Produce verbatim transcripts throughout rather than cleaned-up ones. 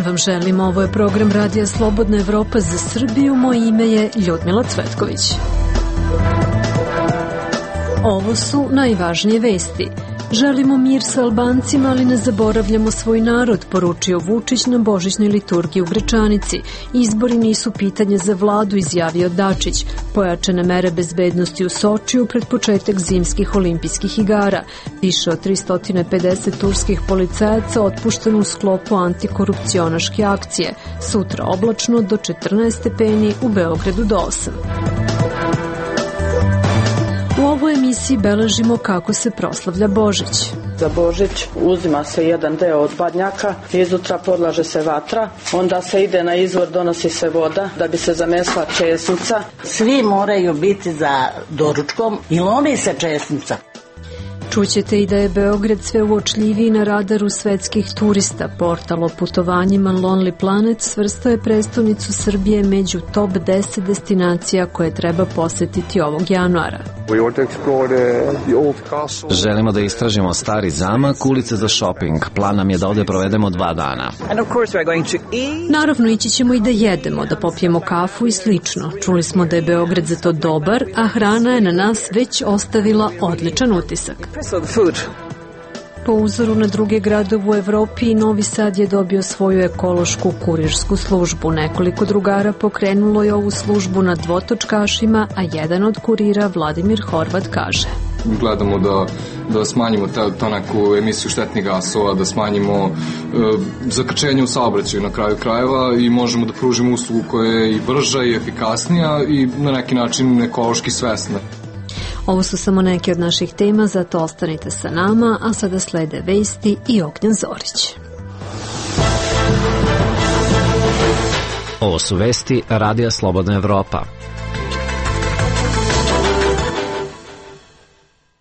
dan vam želim, ovo je program Radija Slobodna Evropa za Srbiju, moje ime je Ljudmila Cvetković. Ovo su najvažnije vesti. Želimo mir sa Albancima, ali ne zaboravljamo svoj narod, poručio Vučić na božićnoj liturgiji u Gračanici. Izbori nisu pitanje za vladu, izjavio Dačić. Pojačane mere bezbednosti u Sočiju pred početak zimskih olimpijskih igara. Više od tristo pedeset turskih policajaca otpušteno u sklopu antikorupcionaške akcije. Sutra oblačno do četrnaest stepeni, u Beogradu do osam. U ovoj emisiji beležimo kako se proslavlja Božić. Za Božić uzima se jedan deo od badnjaka, izutra podlaže se vatra, onda se ide na izvor, donosi se voda da bi se zamesla česnica. Svi moraju biti za doručkom i lomi se česnica. Čućete i da je Beograd sve uočljiviji na radaru svetskih turista. Portal o putovanjima Lonely Planet svrstao je prestonicu Srbije među top deset destinacija koje treba posetiti ovog januara. Želimo da istražimo stari zamak, ulice za shopping. Plan nam je da ovde provedemo dva dana. Naravno, ići ćemo i da jedemo, da popijemo kafu i slično. Čuli smo da je Beograd za to dobar, a hrana je na nas već ostavila odličan utisak. Po uzoru na druge gradove u Evropi, Novi Sad je dobio svoju ekološku kurirsku službu. Nekoliko drugara pokrenulo je ovu službu na dvotočkašima, a jedan od kurira, Vladimir Horvat, kaže: Gledamo da, da smanjimo ta, ta neku emisiju štetnih gasova, da smanjimo e, zakrčenje u saobraćaju na kraju krajeva i možemo da pružimo uslugu koja je i brža i efikasnija i na neki način ekološki svesna. Ovo su samo neke od naših tema, zato ostanite sa nama, a sada slede vesti i Ognjen Zorić. Ovo su vesti Radija Slobodna Evropa.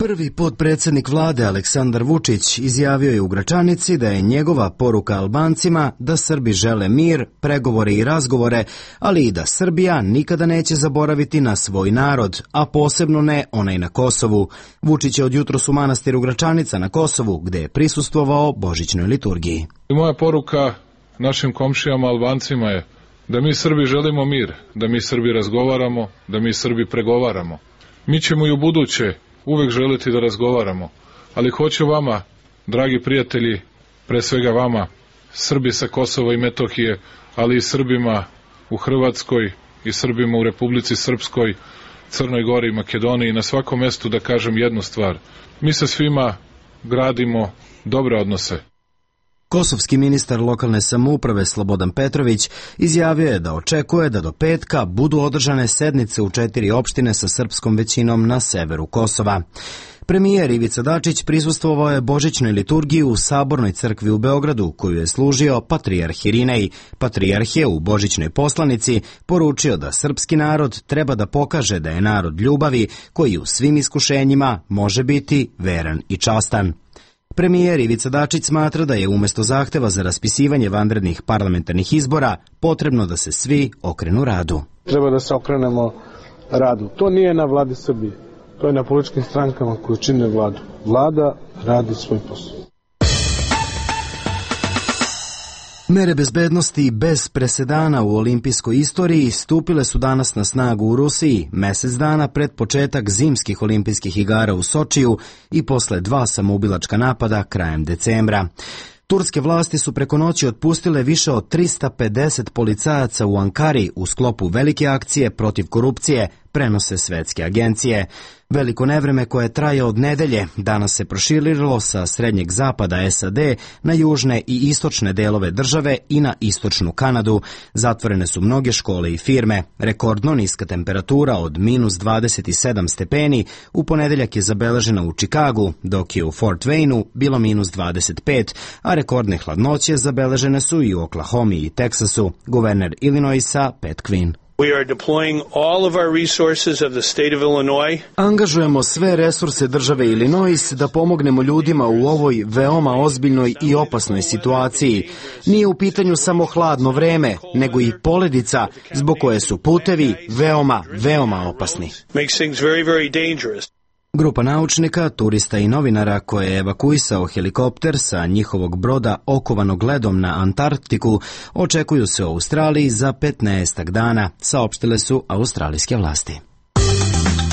Prvi potpredsednik vlade Aleksandar Vučić izjavio je u Gračanici da je njegova poruka Albancima da Srbi žele mir, pregovore i razgovore, ali i da Srbija nikada neće zaboraviti na svoj narod, a posebno ne onaj na Kosovu. Vučić je od jutros u manastiru Gračanica na Kosovu, gde je prisustvovao božićnoj liturgiji. Moja poruka našim komšijama Albancima je da mi Srbi želimo mir, da mi Srbi razgovaramo, da mi Srbi pregovaramo. Mi ćemo i u buduće uvek želiti da razgovaramo, ali hoću vama, dragi prijatelji, pre svega vama, Srbi sa Kosova i Metohije, ali i Srbima u Hrvatskoj i Srbima u Republici Srpskoj, Crnoj Gori i Makedoniji, na svakom mestu da kažem jednu stvar. Mi sa svima gradimo dobre odnose. Kosovski ministar lokalne samouprave Slobodan Petrović izjavio je da očekuje da do petka budu održane sednice u četiri opštine sa srpskom većinom na severu Kosova. Premijer Ivica Dačić prisustvovao je božićnoj liturgiji u Sabornoj crkvi u Beogradu, koju je služio patrijarh Irinej. Patrijarh je u božićnoj poslanici poručio da srpski narod treba da pokaže da je narod ljubavi koji u svim iskušenjima može biti veran i častan. Premijer Ivica Dačić smatra da je umesto zahteva za raspisivanje vanrednih parlamentarnih izbora potrebno da se svi okrenu radu. Treba da se okrenemo radu. To nije na vladi Srbije. To je na političkim strankama koje čine vladu. Vlada radi svoj posao. Mere bezbednosti bez presedana u olimpijskoj istoriji stupile su danas na snagu u Rusiji, mesec dana pred početak zimskih olimpijskih igara u Sočiju i posle dva samoubilačka napada krajem decembra. Turske vlasti su preko noći otpustile više od tristo pedeset policajaca u Ankari u sklopu velike akcije protiv korupcije, prenose svetske agencije. Veliko nevreme koje traje od nedelje danas se proširilo sa srednjeg zapada S A D na južne i istočne delove države i na istočnu Kanadu. Zatvorene su mnoge škole i firme. Rekordno niska temperatura od minus dvadeset sedam stepeni u ponedeljak je zabeležena u Čikagu, dok je u Fort Wayne-u bilo minus dvadeset pet, a rekordne hladnoće zabeležene su i u Oklahomi i Teksasu. Guverner Illinoisa Pat Quinn. We are deploying all of our resources of the state of Illinois. Angažujemo sve resurse države Illinois da pomognemo ljudima u ovoj veoma ozbiljnoj i opasnoj situaciji. Nije u pitanju samo hladno vreme, nego i poledica zbog koje su putevi veoma, veoma opasni. Makes things very, very dangerous. Grupa naučnika, turista i novinara koje je evakuisao helikopter sa njihovog broda okovanog ledom na Antarktiku očekuju se u Australiji za petnaestak dana, saopštile su australijske vlasti.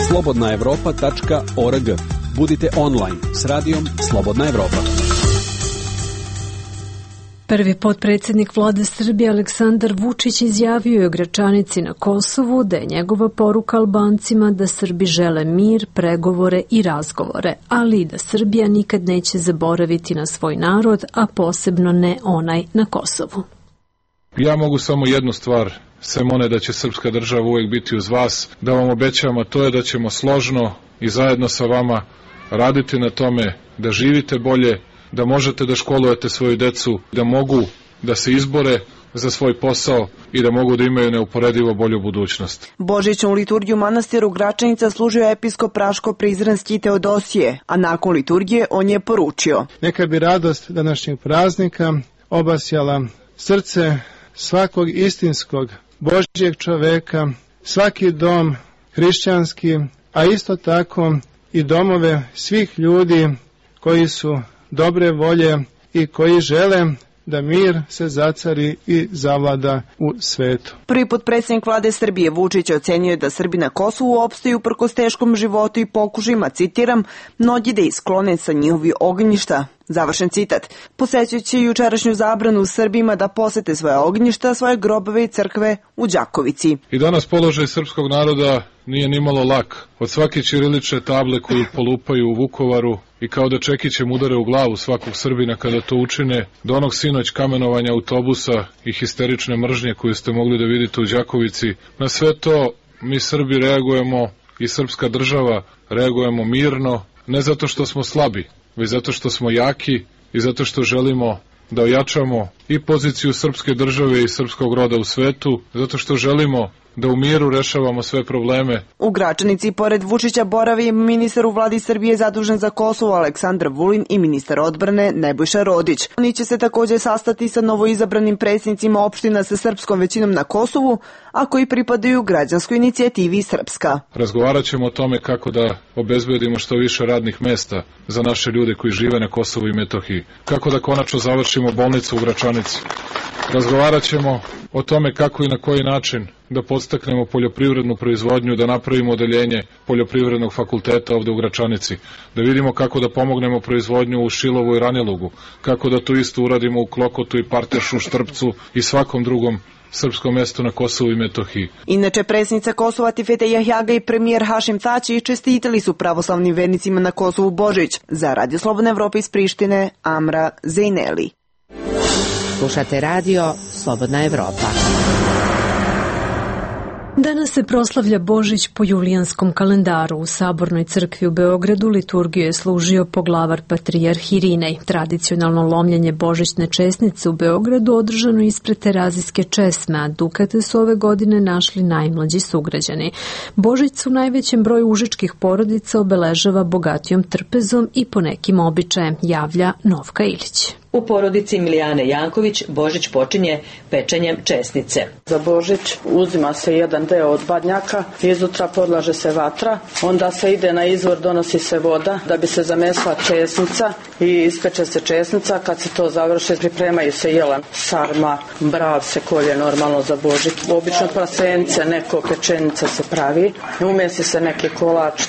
slobodna evropa tačka org. Budite online s radijom Slobodna Evropa. Prvi potpredsjednik vlade Srbije Aleksandar Vučić izjavio je u Gračanici na Kosovu da je njegova poruka Albancima da Srbi žele mir, pregovore i razgovore, ali i da Srbija nikad neće zaboraviti na svoj narod, a posebno ne onaj na Kosovu. Ja mogu samo jednu stvar, sem one da će srpska država uvijek biti uz vas, da vam obećam, a to je da ćemo složno i zajedno sa vama raditi na tome da živite bolje, da možete da školujete svoju decu, da mogu da se izbore za svoj posao i da mogu da imaju neuporedivo bolju budućnost. Božićnu liturgiju manastiru Gračanica služio je episkop Raško-Prizrenski Teodosije, a nakon liturgije on je poručio: Neka bi radost današnjeg praznika obasjala srce svakog istinskog Božjeg čoveka, svaki dom hrišćanski, a isto tako i domove svih ljudi koji su dobre volje i koji žele da mir se zacari i zavlada u svetu. Prvi potpredsjednik vlade Srbije Vučić ocenio da Srbi na Kosovu opstaju uprkos teškom životu i pokušajima, citiram, mnogi da isklone sa njihovi ognjišta. Završen citat. Posećujući jučerašnju zabranu Srbima da posete svoje ognjišta, svoje grobove i crkve u Đakovici. I danas položaj srpskog naroda nije nimalo lak. Od svake ćirilične table koju polupaju u Vukovaru i kao da čekićem udare u glavu svakog Srbina kada to učine, do onog sinoć kamenovanja autobusa i histerične mržnje koju ste mogli da vidite u Đakovici, na sve to mi Srbi reagujemo i srpska država reagujemo mirno, ne zato što smo slabi, već zato što smo jaki i zato što želimo da ojačamo i poziciju srpske države i srpskog roda u svetu, zato što želimo da u miru rešavamo sve probleme. U Gračanici, pored Vučića, boravi ministar u vladi Srbije zadužen za Kosovo Aleksandar Vulin i ministar odbrane Nebojša Rodić. Oni će se također sastati sa novoizabranim predsjednicima opština sa srpskom većinom na Kosovu, a koji pripadaju građanskoj inicijativi Srpska. Razgovarat ćemo o tome kako da obezbedimo što više radnih mesta za naše ljude koji žive na Kosovu i Metohiji. Kako da konačno završimo bolnicu u Gračanici. Razgovarat ćemo o tome kako i na koji način da podstaknemo poljoprivrednu proizvodnju, da napravimo odeljenje poljoprivrednog fakulteta ovde u Gračanici, da vidimo kako da pomognemo proizvodnju u Šilovu i Ranilugu, kako da to isto uradimo u Klokotu i Partešu, Štrpcu i svakom drugom srpskom mestu na Kosovu i Metohiji. Inače, predsjednica Kosova Tifete Jahjaga i premijer Hašim Tači čestitali su pravoslavnim vernicima na Kosovu Božić. Za Radio Slobodna Evropa iz Prištine, Amra Zejneli. Slušate radio Slobodna Evropa. Danas se proslavlja Božić po julijanskom kalendaru. U Sabornoj crkvi u Beogradu liturgiju je služio poglavar patrijarh Irinej. Tradicionalno lomljenje božićne česnice u Beogradu održano ispred Terazijske česme, a dukate su ove godine našli najmlađi sugrađani. Božić u najvećem broju užičkih porodica obeležava bogatijom trpezom i po nekim običajem, javlja Novka Ilić. U porodici Milijane Janković Božić počinje pečenjem česnice. Za Božić uzima se jedan deo od badnjaka, izutra podlaže se vatra, onda se ide na izvor, donosi se voda da bi se zamesla česnica i ispeče se česnica. Kad se to završi, pripremaju se jelan, sarma, brav se kolje normalno za Božić. Obično prasence, neko pečenica se pravi, umesi se neki kolač.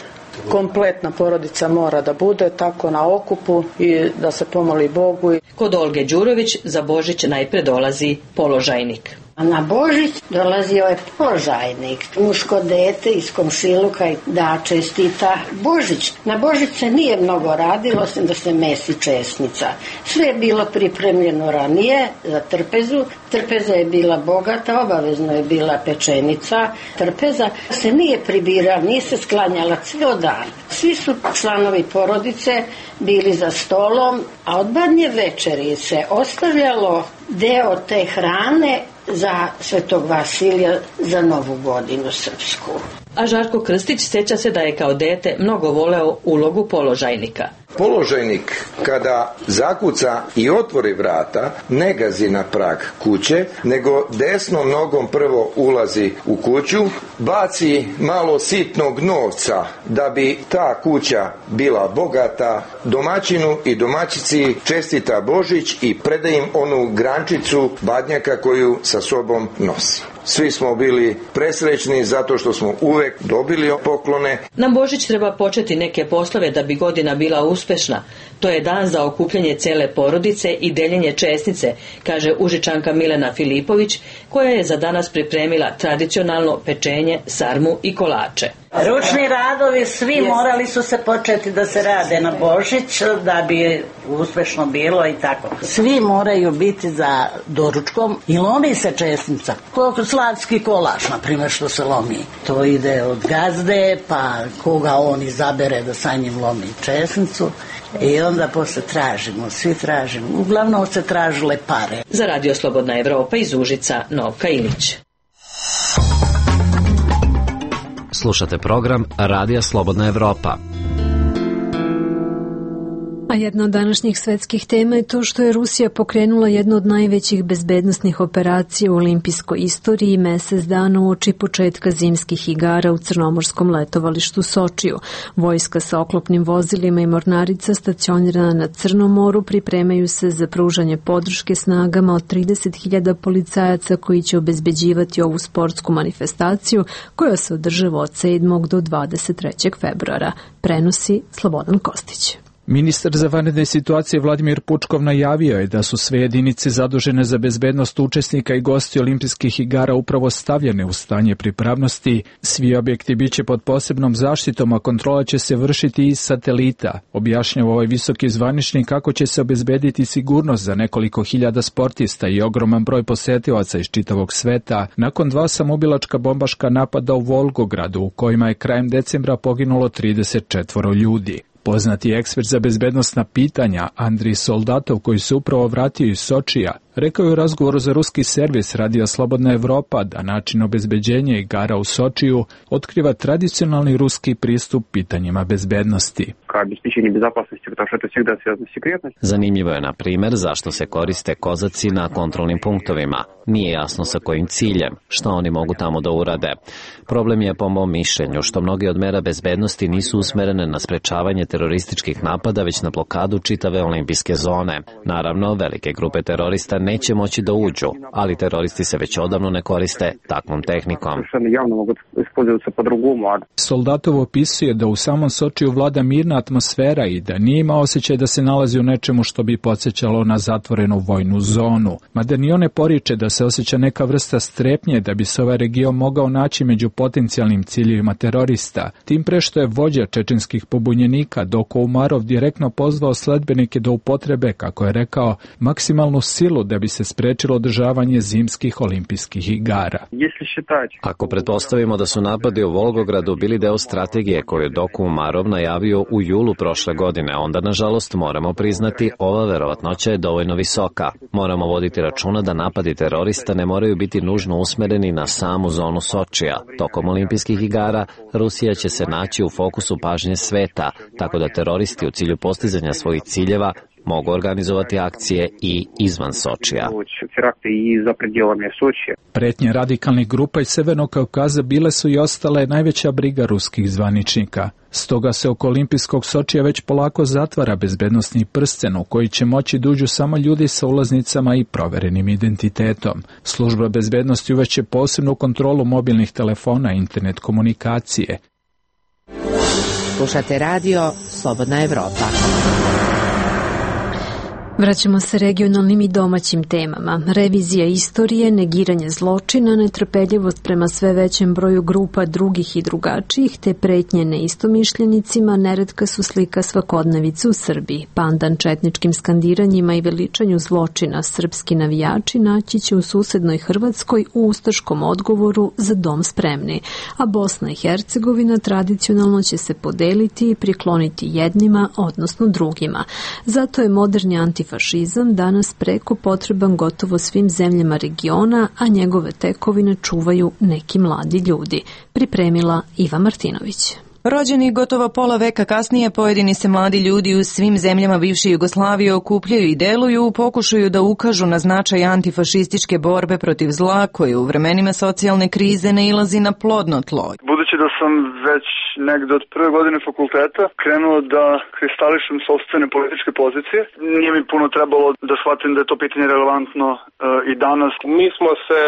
Kompletna porodica mora da bude tako na okupu i da se pomoli Bogu. Kod Olge Đurović za Božić najpre dolazi položajnik. A na Božić dolazio je položajnik, muško dete iz komšiluka da čestita Božić. Na Božić se nije mnogo radilo, osim da se mesi česnica. Sve je bilo pripremljeno ranije za trpezu. Trpeza je bila bogata, obavezno je bila pečenica. Trpeza se nije pribirala, nije se sklanjala ceo dan. Svi su članovi porodice bili za stolom, a od badnje večeri se ostavljalo deo te hrane za Svetog Vasilija za Novu godinu srpsku. A Žarko Krstić sjeća se da je kao dete mnogo voleo ulogu položajnika. Položajnik kada zakuca i otvori vrata ne gazi na prag kuće, nego desnom nogom prvo ulazi u kuću, baci malo sitnog novca da bi ta kuća bila bogata, domaćinu i domaćici čestita Božić i preda im onu grančicu badnjaka koju sa sobom nosi. Svi smo bili presrećni zato što smo uvek dobili poklone. Na Božić treba početi neke poslove da bi godina bila uspešna. To je dan za okupljanje cele porodice i deljenje česnice, kaže Užičanka Milena Filipović, koja je za danas pripremila tradicionalno pečenje, sarmu i kolače. Ručni radovi svi morali su se početi da se rade na Božić da bi uspešno bilo i tako. Svi moraju biti za doručkom i lomi se česnica. Koliko slavski kolač, na primjer, što se lomi. To ide od gazde, pa koga on izabere da sa njim lomi česnicu. I onda posle tražimo, svi tražimo. Uglavnom se tražile pare. Za Radio Slobodna Evropa iz Užica, Novka Ilić. Slušate program Radija Slobodna Evropa. A jedna od današnjih svetskih tema je to što je Rusija pokrenula jednu od najvećih bezbednosnih operacija u olimpijskoj istoriji mesec dana uoči početka zimskih igara u crnomorskom letovalištu Sočiju. Vojska sa oklopnim vozilima i mornarica stacionirana na Crnom moru pripremaju se za pružanje podrške snagama od trideset hiljada policajaca koji će obezbeđivati ovu sportsku manifestaciju koja se održava od sedmog do dvadeset trećeg februara. Prenosi Slobodan Kostić. Ministar za vanredne situacije Vladimir Pučkov najavio je da su sve jedinice zadužene za bezbednost učesnika i gosti olimpijskih igara upravo stavljene u stanje pripravnosti. Svi objekti biće pod posebnom zaštitom, a kontrola će se vršiti iz satelita. Objašnjava ovaj visoki zvaničnik kako će se obezbediti sigurnost za nekoliko hiljada sportista i ogroman broj posetilaca iz čitavog sveta nakon dva samoubilačka bombaška napada u Volgogradu u kojima je krajem decembra poginulo trideset četvoro ljudi. Poznati ekspert za bezbednosna pitanja Andrij Soldatov, koji se upravo vratio iz Sočija, rekao je u razgovoru za ruski servis Radija Slobodna Evropa da način obezbeđenja igara u Sočiju otkriva tradicionalni ruski pristup pitanjima bezbednosti. Zanimljivo je, na primjer, zašto se koriste kozaci na kontrolnim punktovima. Nije jasno sa kojim ciljem, što oni mogu tamo da urade. Problem je, po mom mišljenju, što mnogi od mera bezbednosti nisu usmerene na sprečavanje terorističkih napada, već na blokadu čitave olimpijske zone. Naravno, velike grupe terorista neće moći da uđu, ali teroristi se već odavno ne koriste takvom tehnikom. Soldatov opisuje da u samom Sočiju vlada mirna atmosfera i da nije imao osjećaj da se nalazi u nečemu što bi podsjećalo na zatvorenu vojnu zonu. Mada ni on ne poriče da se osjeća neka vrsta strepnje da bi se ovaj region mogao naći među potencijalnim ciljevima terorista, tim pre što je vođa čečenskih pobunjenika Doko Umarov direktno pozvao sledbenike da upotrebe, kako je rekao, maksimalnu silu da bi se sprečilo održavanje zimskih olimpijskih igara. Ako pretpostavimo da su napadi u Volgogradu bili deo strategije koju je Doko Umarov najavio u julu prošle godine, onda nažalost moramo priznati ova verovatnoća je dovoljno visoka. Moramo voditi računa da napadi terorista ne moraju biti nužno usmereni na samu zonu Sočija. Tokom olimpijskih igara Rusija će se naći u fokusu pažnje sveta, tako da teroristi u cilju postizanja svojih ciljeva mogu organizovati akcije i izvan Sočija. Pretnje radikalnih grupa iz Severnog Kaukaza bile su i ostale najveća briga ruskih zvaničnika. Stoga se oko olimpijskog Sočija već polako zatvara bezbednosni prsten u koji će moći da uđu samo ljudi sa ulaznicama i proverenim identitetom. Služba bezbednosti uveće posebnu kontrolu mobilnih telefona i internet komunikacije. Slušate radio Slobodna Evropa. Vraćamo se regionalnim i domaćim temama. Revizija istorije, negiranje zločina, netrpeljivost prema sve većem broju grupa drugih i drugačijih, te pretnje neistomišljenicima neretka su slika svakodnevice u Srbiji. Pandan četničkim skandiranjima i veličanju zločina srpski navijači naći će u susednoj Hrvatskoj u ustaškom odgovoru za dom spremni, a Bosna i Hercegovina tradicionalno će se podeliti i prikloniti jednima, odnosno drugima. Zato je moderni anti antifašizam danas preko potreban gotovo svim zemljama regiona, a njegove tekovine čuvaju neki mladi ljudi, pripremila Iva Martinović. Rođeni gotovo pola veka kasnije, pojedini se mladi ljudi u svim zemljama bivše Jugoslavije okupljaju i deluju u pokušaju da ukažu na značaj antifašističke borbe protiv zla koje u vremenima socijalne krize nailazi na plodno tlo. Budući da sam već negde od prve godine fakulteta krenuo da kristališem sopstvene političke pozicije, nije mi puno trebalo da shvatim da je to pitanje relevantno e, i danas. Mi smo se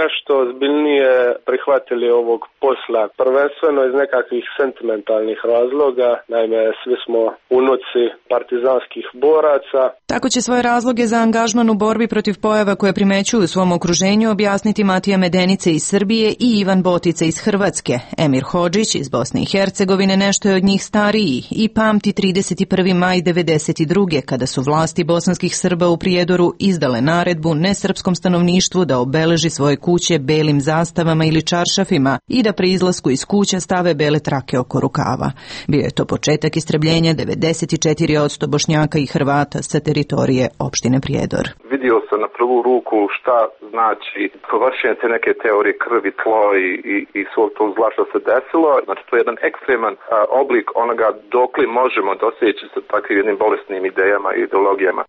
nešto ozbiljnije prihvatili ovog posla, prvenstveno iz nekakvih sentimentalnih razloga, naime svi smo unuci partizanskih boraca. Tako će svoje razloge za angažman u borbi protiv pojava koje primećuju u svom okruženju objasniti Matija Medenice iz Srbije i Ivan Botica iz Hrvatske. Emir Hodžić iz Bosne i Hercegovine nešto je od njih stariji i pamti trideset prvi maj devedeset druge kada su vlasti bosanskih Srba u Prijedoru izdale naredbu nesrpskom stanovništvu da obeleži svoje kuće belim zastavama ili čaršafima i da pri izlasku iz kuća stave bele trake oko rukava. Bio je to početak istrebljenja devedeset četiri posto Bošnjaka i Hrvata sa teritorije opštine Prijedor. Vidio sam na prvu ruku šta znači vršenje te neke teorije krvi, tlo i, i, i svog tog zla što se desilo. Znači to je jedan ekstreman a, oblik onoga dokli možemo doseći sa takvim jednim bolesnim idejama i ideologijama.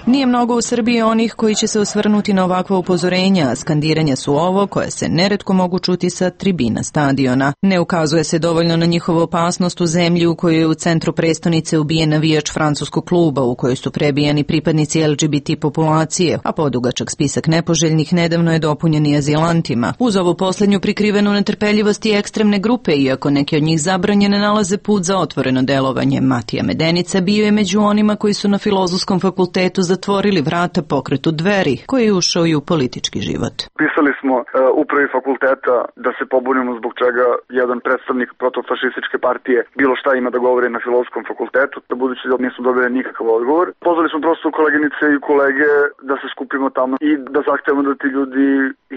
Nije mnogo u Srbiji onih koji će se osvrnuti na ovakva upozorenja, a skandiranja su ovo koje se neretko mogu čuti sa tribina stadiona. Ne ukazuje se dovoljno na njihovu opasnost u zemlji u kojoj je u centru prestonice ubijen navijač francuskog kluba, u kojoj su prebijani pripadnici L G B T populacije, a podugačak spisak nepoželjnih nedavno je dopunjen i azilantima. Uz ovu poslednju prikrivenu netrpeljivost i ekstremne grupe, iako neki od njih zabranjene, nalaze put za otvoreno delovanje. Matija Medenica bio je među onima koji su na Filozofskom fakultetu zatvorili vrata pokretu Dveri, koji je ušao i u politički život. Pisali smo uh, upravi fakulteta da se pobunimo zbog čega jedan predstavnik protofašističke partije bilo šta ima da govori na Filozofskom fakultetu, da budući da nismo dobili nikakav odgovor. Pozvali smo prosto koleginice i kolege da se skupimo tamo i da zahtevamo da ti ljudi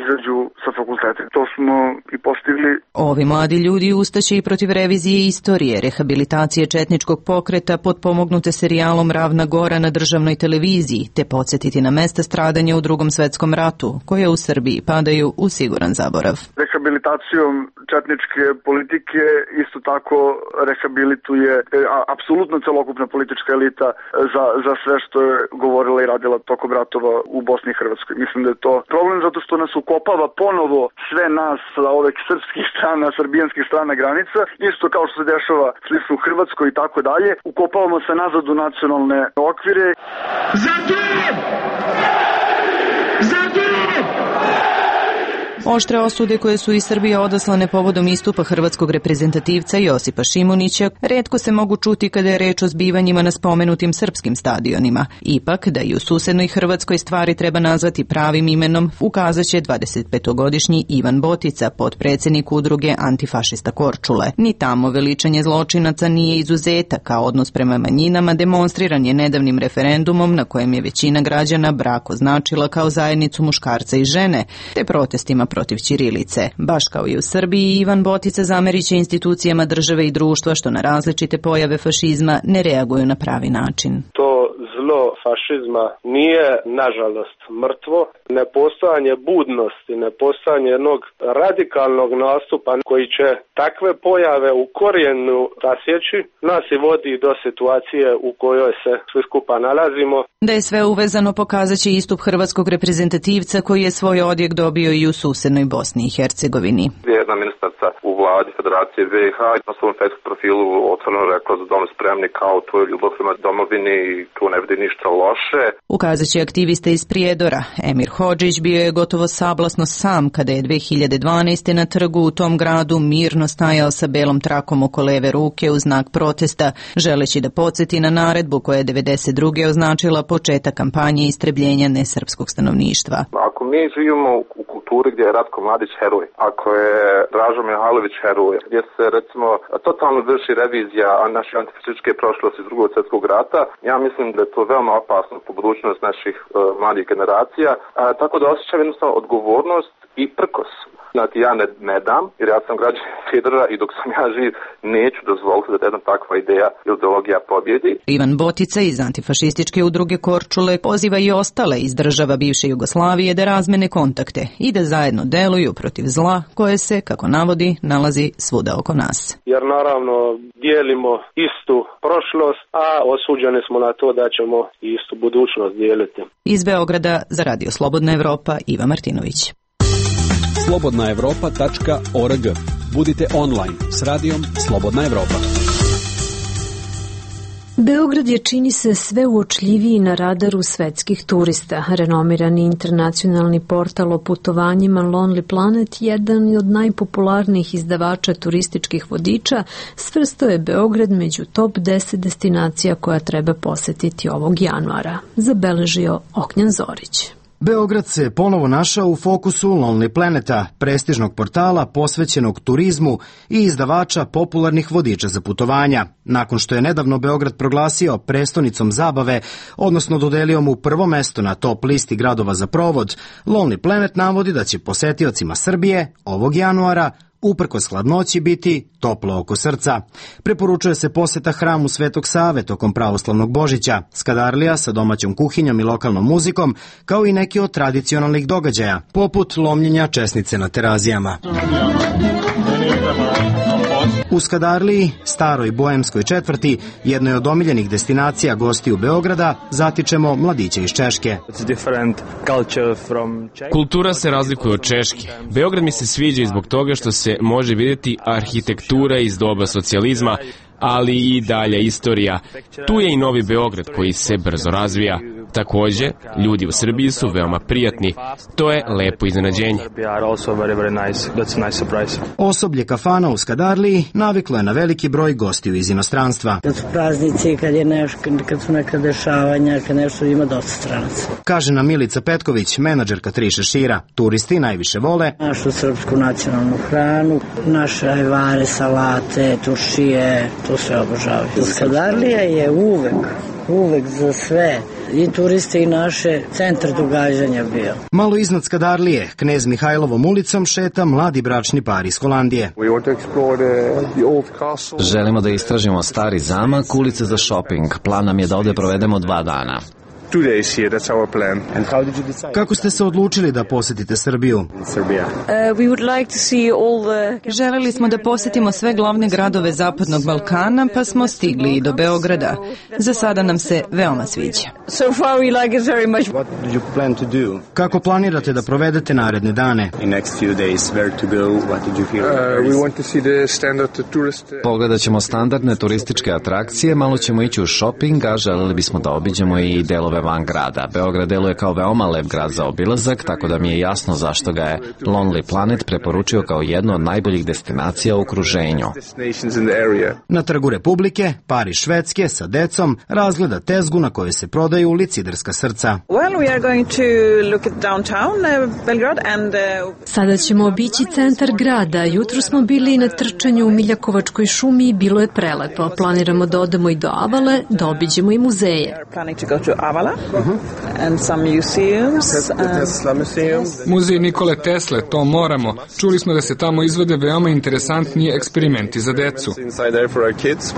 izađu sa fakulteta. To smo i postigli. Ovi mladi ljudi ustaće i protiv revizije istorije, rehabilitacije četničkog pokreta potpomognute serijalom Ravna Gora na državnoj televiziji, te podsjetiti na mesta stradanja u Drugom svetskom ratu, koje u Srbiji padaju u siguran zaborav. Rehabilitacijom četničke politike isto tako rehabilituje a, apsolutno celokupna politička elita za, za sve što je govorila i radila tokom ratova u Bosni i Hrvatskoj. Mislim da je to problem zato što nas ukopava ponovo sve nas sa ovih srpskih strana, srbijanskih strana granica, isto kao što se dešava slično u Hrvatskoj i tako dalje. Ukopavamo se nazad u nacionalne okvire. Zatim! Zatim! Oštre osude koje su iz Srbije odaslane povodom istupa hrvatskog reprezentativca Josipa Šimunića retko se mogu čuti kada je reč o zbivanjima na spomenutim srpskim stadionima. Ipak, da i u susednoj Hrvatskoj stvari treba nazvati pravim imenom, ukazaće dvadesetpetogodišnji Ivan Botica, potpredsednik udruge Antifašista Korčule. Ni tamo veličanje zločinaca nije izuzetak, a odnos prema manjinama demonstriran je nedavnim referendumom na kojem je većina građana brak označila kao zajednicu muškarca i žene, te protestima protiv ćirilice. Baš kao i u Srbiji, Ivan Botica zameriće institucijama države i društva što na različite pojave fašizma ne reaguju na pravi način. To zlo fašizma nije, nažalost, mrtvo. Nepostojanje budnosti, nepostojanje jednog radikalnog nastupa koji će takve pojave u korijenu rasjeći, nas i vodi do situacije u kojoj se svi skupa nalazimo. Da je sve uvezano pokazat će istup hrvatskog reprezentativca koji je svoj odjek dobio i u susednoj Bosni i Hercegovini. Jedna ministarca u vladi Federacije B i H na svom Facebook profilu otvoreno rekla za dom spremni kao to je ljubav prema domovini i tu ne vidi ništa loše. Ukazat će aktivista iz Prijedora. Emir Hodžić bio je gotovo sablasno sam kada je dve hiljade dvanaeste. na trgu u tom gradu mirno stajao sa belom trakom oko leve ruke u znak protesta, želeći da podsjeti na naredbu koja je devedeset druge označila početak kampanje istrebljenja nesrpskog stanovništva. Ako mi živimo u kulturi gdje je Ratko Mladić heroj, ako je Dražo Mihajlović heroj, gdje se recimo totalno vrši revizija naše antifašističke prošlosti iz Drugog svjetskog rata, ja mislim da je to veoma opasno po budućnost naših uh, mladih generacija, a, tako da osjećam jednostavno odgovornost i prkos Znači ja ne, ne dam, jer ja sam građanin Federa i dok sam ja živ neću dozvoliti da jedna takva ideja ili ideologija pobjedi. Ivan Botica iz antifašističke udruge Korčule poziva i ostale iz država bivše Jugoslavije da razmene kontakte i da zajedno deluju protiv zla koje se, kako navodi, nalazi svuda oko nas. Jer naravno dijelimo istu prošlost, a osuđeni smo na to da ćemo istu budućnost dijeliti. Iz Beograda za Radio Slobodna Evropa, Iva Martinović. slobodna evropa tačka org. Budite online s radijom Slobodna Evropa. Beograd je, čini se, sve uočljiviji na radaru svetskih turista. Renomirani internacionalni portal o putovanjima Lonely Planet, jedan od najpopularnijih izdavača turističkih vodiča, svrstao je Beograd među top deset destinacija koja treba posetiti ovog januara, zabeležio Ognjan Zorić. Beograd se ponovo našao u fokusu Lonely Planeta, prestižnog portala posvećenog turizmu i izdavača popularnih vodiča za putovanja. Nakon što je nedavno Beograd proglasio prestonicom zabave, odnosno dodelio mu prvo mesto na top listi gradova za provod, Lonely Planet navodi da će posetiocima Srbije ovog januara uprkos hladnoći biti toplo oko srca. Preporučuje se poseta hramu Svetog Save tokom pravoslavnog Božića, Skadarlija sa domaćom kuhinjom i lokalnom muzikom, kao i neki od tradicionalnih događaja, poput lomljenja česnice na terazijama. U Skadarliji, staroj boemskoj četvrti, jednoj od omiljenih destinacija gostiju Beograda, zatičemo mladiće iz Češke. Kultura se razlikuje od Češke. Beograd mi se sviđa i zbog toga što se može vidjeti arhitektura iz doba socijalizma, ali i dalje istorija. Tu je i Novi Beograd koji se brzo razvija. Takođe, ljudi u Srbiji su veoma prijatni. To je lepo iznenađenje. Osoblje kafana u Skadarliji naviklo je na veliki broj gostiju iz inostranstva. Kad su praznici, kad je nešto, kad su neka dešavanja, kad nešto ima dosta stranaca. Kaže nam Milica Petković, menadžerka Tri šešira. Turisti najviše vole našu srpsku nacionalnu hranu, naše ajvare, salate, turšije, to sve obožavaju. Skadarlija je uvek uvek za sve, i turiste i naše, centar događanja bio. Malo iznad Skadarlije, Knez Mihajlovom ulicom šeta mladi bračni par iz Holandije. Želimo da istražimo stari zamak, ulice za shopping. Plan nam je da ovde provedemo dva dana. Two days here, that's our plan. And how did you decide? Kako ste se odlučili da posetite Srbiju? Serbia. Uh, we would like to see all the... Želeli smo da posetimo sve glavne gradove Zapadnog Balkana, pa smo stigli i do Beograda. Za sada nam se veoma sviđa. So far we like it very much. What did you plan to do? Kako planirate da provedete naredne dane? In next few days, where to go? What did you hear? Uh, we want to see the standard tourist. Pogledat ćemo standardne turističke atrakcije, malo ćemo ići u shopping, a želeli bismo da obiđemo i delove van grada. Beograd deluje kao veoma lep grad za obilazak, tako da mi je jasno zašto ga je Lonely Planet preporučio kao jednu od najboljih destinacija u okruženju. Na Trgu Republike, par iz Švedske sa decom razgleda tezgu na kojoj se prodaju liciderska srca. Well, we are going to look at downtown uh, Belgrade and uh... Sada ćemo obići centar grada. Jutro smo bili na trčanju u Miljakovačkoj šumi i bilo je prelepo. Planiramo da odemo i do Avale, da obiđemo i muzeje. And some museums, and... Muzej Nikole Tesle, to moramo. Čuli smo da se tamo izvode veoma interesantni eksperimenti za decu.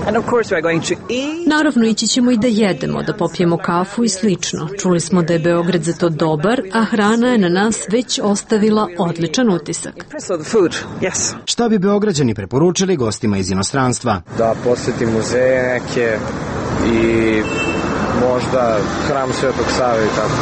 And of course we are going to eat. Naravno, ići ćemo i da jedemo, da popijemo kafu i slično. Čuli smo da je Beograd za to dobar, a hrana je na nas već ostavila odličan utisak. Yes. Šta bi Beograđani preporučili gostima iz inostranstva? Da poseti muzeje neke i možda hram Svetog Save i tako.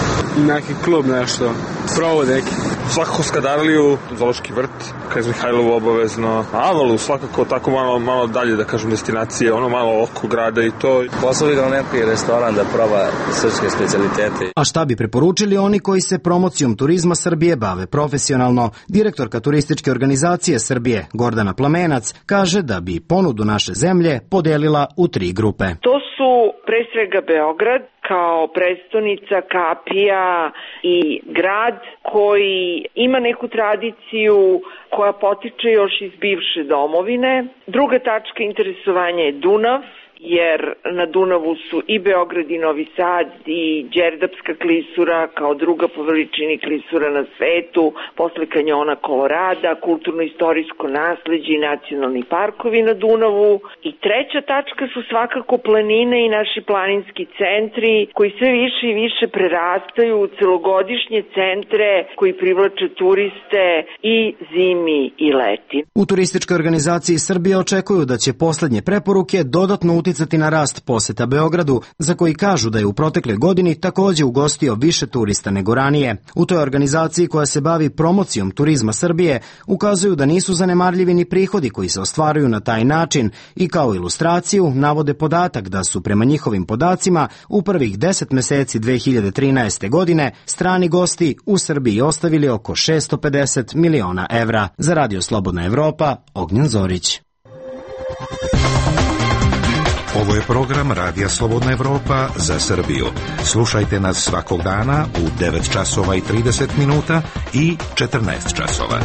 Neki klub, nešto. Provod neki. Svakako Skadarliju, Zoološki vrt, Knez Mihajlovu obavezno. Avalu svakako tako malo, malo dalje, da kažem, destinacije, ono malo oko grada i to. Poslovi ga u neki restoran da proba srpske specialitete. A šta bi preporučili oni koji se promocijom turizma Srbije bave profesionalno? Direktorka turističke organizacije Srbije, Gordana Plamenac, kaže da bi ponudu naše zemlje podelila u tri grupe. To su pre svega Beograd kao prestonica, kapija i grad koji ima neku tradiciju koja potiče još iz bivše domovine. Druga tačka interesovanja je Dunav jer na Dunavu su i Beograd i Novi Sad i Đerdapska klisura kao druga po veličini klisura na svetu, posle kanjona Kolorada, kulturno-istorijsko nasleđe i nacionalni parkovi na Dunavu. I treća tačka su svakako planine i naši planinski centri koji sve više i više prerastaju u celogodišnje centre koji privlače turiste i zimi i leti. U turističkoj organizaciji Srbije očekuju da će poslednje preporuke dodatno uticati na rast poseta Beogradu, za koji kažu da je u protekle godini takođe ugostio više turista nego ranije. U toj organizaciji koja se bavi promocijom turizma Srbije ukazuju da nisu zanemarljivi ni prihodi koji se ostvaruju na taj način i kao ilustraciju navode podatak da su prema njihovim podacima u prvih deset meseci dve hiljade trinaeste. godine strani gosti u Srbiji ostavili oko šesto pedeset miliona evra. Za Radio Slobodna Evropa, Ognjen Zorić. Ovo je program Radija Slobodna Evropa za Srbiju. Slušajte nas svakog dana u devet časova i trideset minuta i četrnaest časova.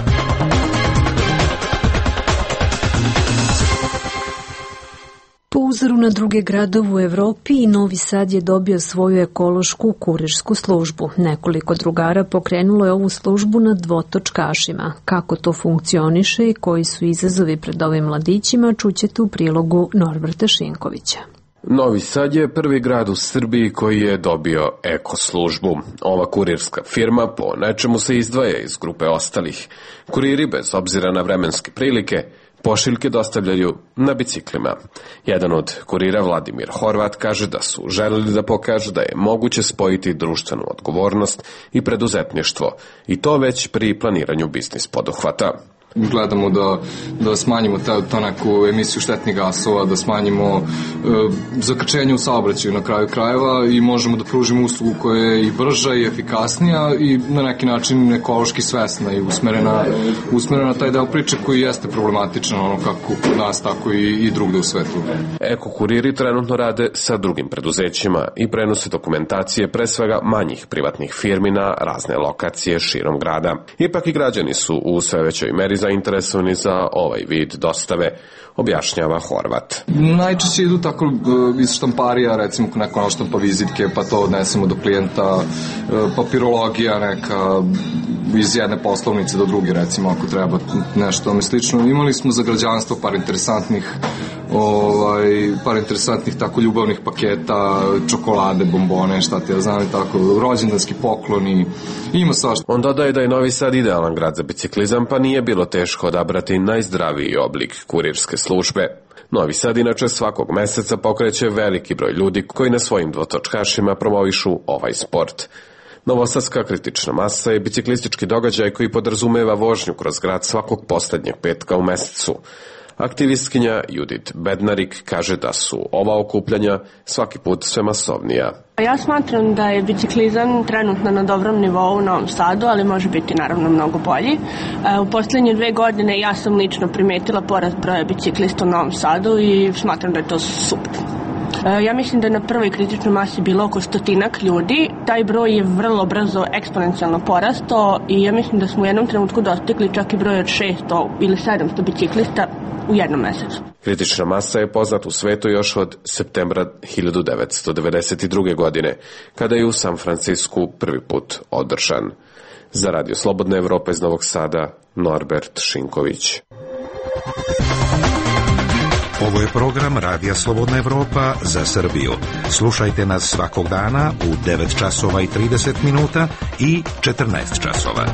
Po uzoru na druge gradove u Evropi i Novi Sad je dobio svoju ekološku kurirsku službu. Nekoliko drugara pokrenulo je ovu službu na dvotočkašima. Kako to funkcioniše i koji su izazovi pred ovim mladićima čućete u prilogu Norberta Šinkovića. Novi Sad je prvi grad u Srbiji koji je dobio eko službu. Ova kurirska firma po nečemu se izdvaja iz grupe ostalih. Kuriri, bez obzira na vremenske prilike, pošiljke dostavljaju na biciklima. Jedan od kurira, Vladimir Horvat, kaže da su želeli da pokažu da je moguće spojiti društvenu odgovornost i preduzetništvo, i to već pri planiranju biznis poduhvata. Gledamo da, da smanjimo ta, to neku emisiju štetnih gasova, da smanjimo e, zakrčenje u saobraćaju na kraju krajeva i možemo da pružimo uslugu koja je i brža i efikasnija i na neki način ekološki svesna i usmerena, usmerena na taj deo priče koji jeste problematičan, ono kako kod nas, tako i, i drugde u svetu. Eko kuriri trenutno rade sa drugim preduzećima i prenose dokumentacije pre svega manjih privatnih firmi na razne lokacije širom grada. Ipak i građani su u sve većoj meri zainteresovani za ovaj vid dostave, objašnjava Horvat. Najčešće idu tako iz štamparija, recimo neko naštampa vizitke, pa to odnesemo do klijenta, papirologija neka iz jedne poslovnice do druge, recimo, ako treba nešto tome slično. Imali smo za građanstvo par interesantnih ovaj, par interesantnih tako ljubavnih paketa, čokolade, bombone, šta te ja znam i tako, rođendanski pokloni, ima svašta. On dodaje da je Novi Sad idealan grad za biciklizam, pa nije bilo teško odabrati najzdraviji oblik kurirske službe. Novi Sad inače svakog meseca pokreće veliki broj ljudi koji na svojim dvotočkašima promovišu ovaj sport. Novosadska kritična masa je biciklistički događaj koji podrazumeva vožnju kroz grad svakog poslednjeg petka u mesecu. Aktivistkinja Judit Bednarik kaže da su ova okupljanja svaki put sve masovnija. Ja smatram da je biciklizam trenutno na dobrom nivou u Novom Sadu, ali može biti naravno mnogo bolji. U poslednje dve godine ja sam lično primetila porast broja biciklista u Novom Sadu i smatram da je to super. Ja mislim da je na prvoj kritičnoj masi bilo oko stotinak ljudi. Taj broj je vrlo brzo eksponencijalno porastao i ja mislim da smo u jednom trenutku dostigli čak i broj od šesto ili sedamsto biciklista u jednom mesecu. Kritična masa je poznat u svetu još od septembra hiljadu devetsto devedeset druge. godine, kada je u San Francisku prvi put održan. Za Radio Slobodna Evropa iz Novog Sada, Norbert Šinković. Ovo je program Radija Slobodna Evropa za Srbiju. Slušajte nas svakog dana u devet časova i trideset minuta i četrnaest časova.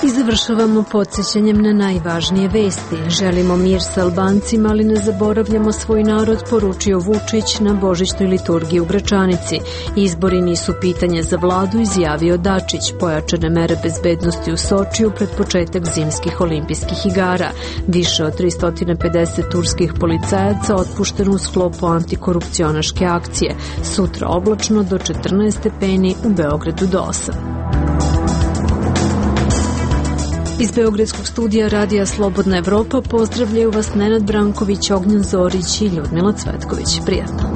I završavamo podsjećanjem na najvažnije vesti. Želimo mir sa Albancima, ali ne zaboravljamo svoj narod, poručio Vučić na božićnoj liturgiji u Gračanici. Izbori nisu pitanje za vladu, izjavio Dačić. Pojačane mere bezbednosti u Sočiju pred početak zimskih olimpijskih igara. Više od tristo pedeset turskih policajaca otpušteno u sklopu antikorupcionaške akcije. Sutra oblačno do četrnaest stepeni, u Beogradu do osam. Iz Beogradskog studija Radija Slobodna Evropa pozdravljaju vas Nenad Branković, Ognjen Zorić i Ljudmila Cvetković. Prijatno.